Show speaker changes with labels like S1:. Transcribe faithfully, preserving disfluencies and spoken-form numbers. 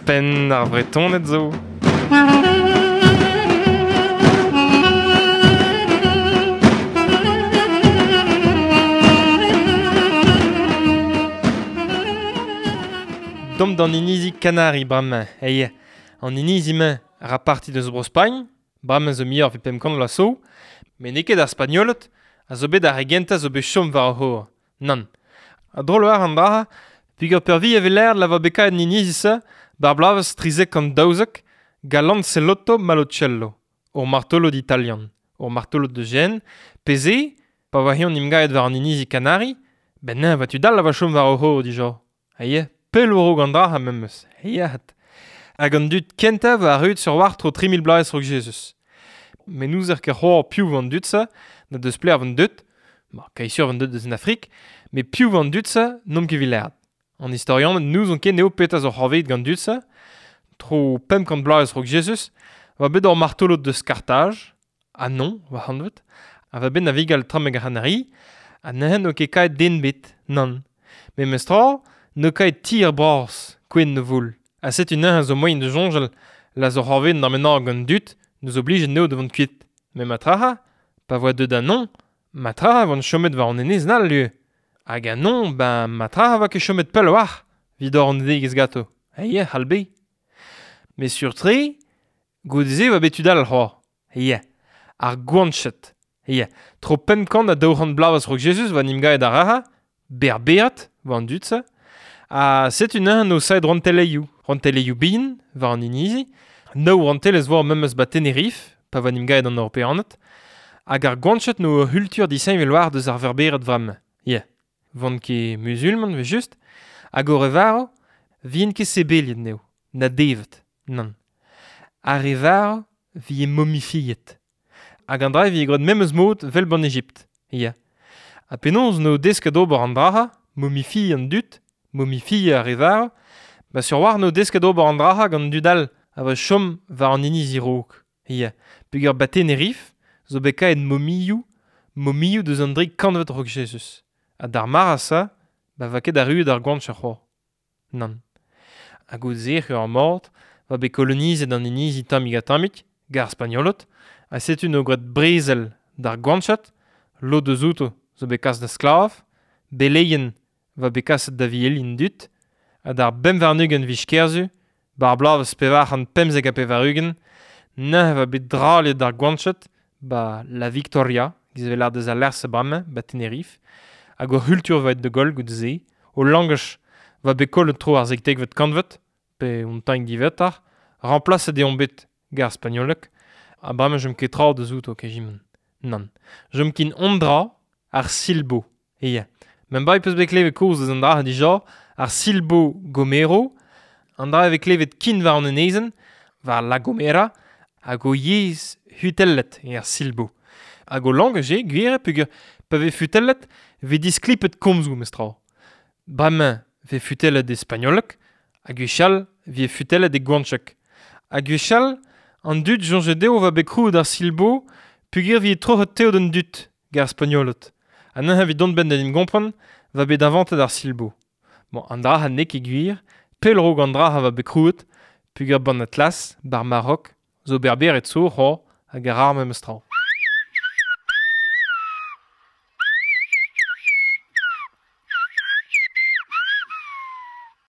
S1: Penn ar Vretoned zo. Domp d'an inizi Kanari bremañ. Eie, an inizi-mañ a ra parti deus Bro-Spagn, bremañ zo muioc'h evit pemp kant vloaz zo, met n'eo ket ar Spagnoled a zo bet ar re gentañ zo bet chom war ar c'hor. Nann. A drol war an dra, peogwir peurvuiañ e vez lâret la vo bet kaet an inizi-se bar bloavezh trizek kant daouzek gant Lancelotto Malocello, ur martolod italian, ur martolod de Gênes, pe se, pa oa eñ emgavet war an inizi Kanari, ben neñv va tud all a va chom war o c'hor dija. Aie, pell war-raok an dra memes. Aie, hag an dud kentañ war arruet sur war tro tri mil bloaz raok Jezuz. Met n'ouzer ket c'hoazh piv an dud-se, na deus plev an dud, ma kaesur an dud deus an Afrik, met piv an dud-se n'omp ket evit lâret. An istorianed n'ouzon ket n'eo petra zo c'hoarvezet gant dud-se, tro pemp kant bloaz raok Jezuz, va bet ur martolod deus Karthaj, ha non, va hanvet, ha va bet navigal trameg ar C'hanari, ha neuze n'o ket kaet den bet, nann. Met mestra, n'o kaet tier bras, kwen ne voul. Ha setu neuze zo moaien da soñjal la zo c'hoarvezet d'ar menag gant dud, nous oblige neo da vont kuit. Met matraha, pa voa deut a non, matraha vont chomet war an enez nal lieu. Hag a non, ben matraha va ket chomet pell war, vid or an degez gato. Eie, c'hall be. Met sur-tre, goude-se va bet tud all c'hoazh. Eie, ar Gouanched. Eie, tro pemp kant ha daou c'hant bloavezh raok Jezuz va n'im gaet ar raha, berberat, va an dud-se. Ha setu neuze no saet rouantelezhioù. Rouantelezhioù bihan, war an inizi, nav rouantelezh war memes ba Tenerife, pa va n'im gaet an Europeaned, hag ar Gouanched no ur c'hultur disheñvel war deus ar Verbered vremañ. Ie, vont ket musulman, ve just, hag o re varv, vient ket sebeliet neo, na devet, nann. Ar re varv vie momifiet. Hag an dra vie graet memes mod vel ban Ejipt. Ie. Ha penaos no desket ober an draha, momifie an dud, momifie ar re varv, ba sur war no desket ober an draha gant dud all a va chom war an inizi raok. Ie. Peogwir ba Tenerife, zo bet kaet momioù, momioù deus an dri kantved raok Jezuz. Ha d'ar mare-se, ba va ket arruet ar Gouanch ar c'hoazh. Nann. Hag o zec'h ur mort, va bet kolonizet an inizi tammig ha tammig, gant ar Spagnoled, ha setu no graet brezel d'ar Gouanched, lod eus outo zo bet kas da sklav, beleien va bet kaset da vielin dud, ha d'ar bemp warn-ugent viz Kerzu, bar bloavezh pevar c'hant pemzek ha pevar-ugent, neuze va bet draliet d'ar Gouanched, ba La Victoria, giz evel ar deus al lec'h-se bremañ, ba Tenerife, hag o c'hultur va et de gol goude-se, o langaj va bet kollet tro ar sektekvet kantved, pe un tamm diwezhatoc'h, remplaset eo bet gant ar spagnoleg, ha bremañ jom ket tra deus outo kejiment. Nann. Jom kin on dra ar silbo. Eie. Men bai peus bet klevet koz deus an dra dija, ar silbo Gomero, an dra eo klevet kin war an enezenn, war La Gomera, hag o yezh hutellet eo ar silbo. Hag o langaj eo, gwir eo, peogwir pa vez futellet, vez disklipet komzoù mestra. Bremañ vez futellet e spagnoleg, hag gwechall vez futellet e gouancheg. Hag gwechall, an dud soñjet dezho va bet krouet ar silbo, peogwir vez troc'het teod an dud gant ar Spagnoled. Ha neuze evit dont benn da en gompren, va bet inventet ar silbo. Bon, an dra ha n'eo ket gwir, pell raok an dra ha va bet krouet, peogwir ban Atlas, bar Marok, zo berbered zo c'hoazh hag ar ar memes tra.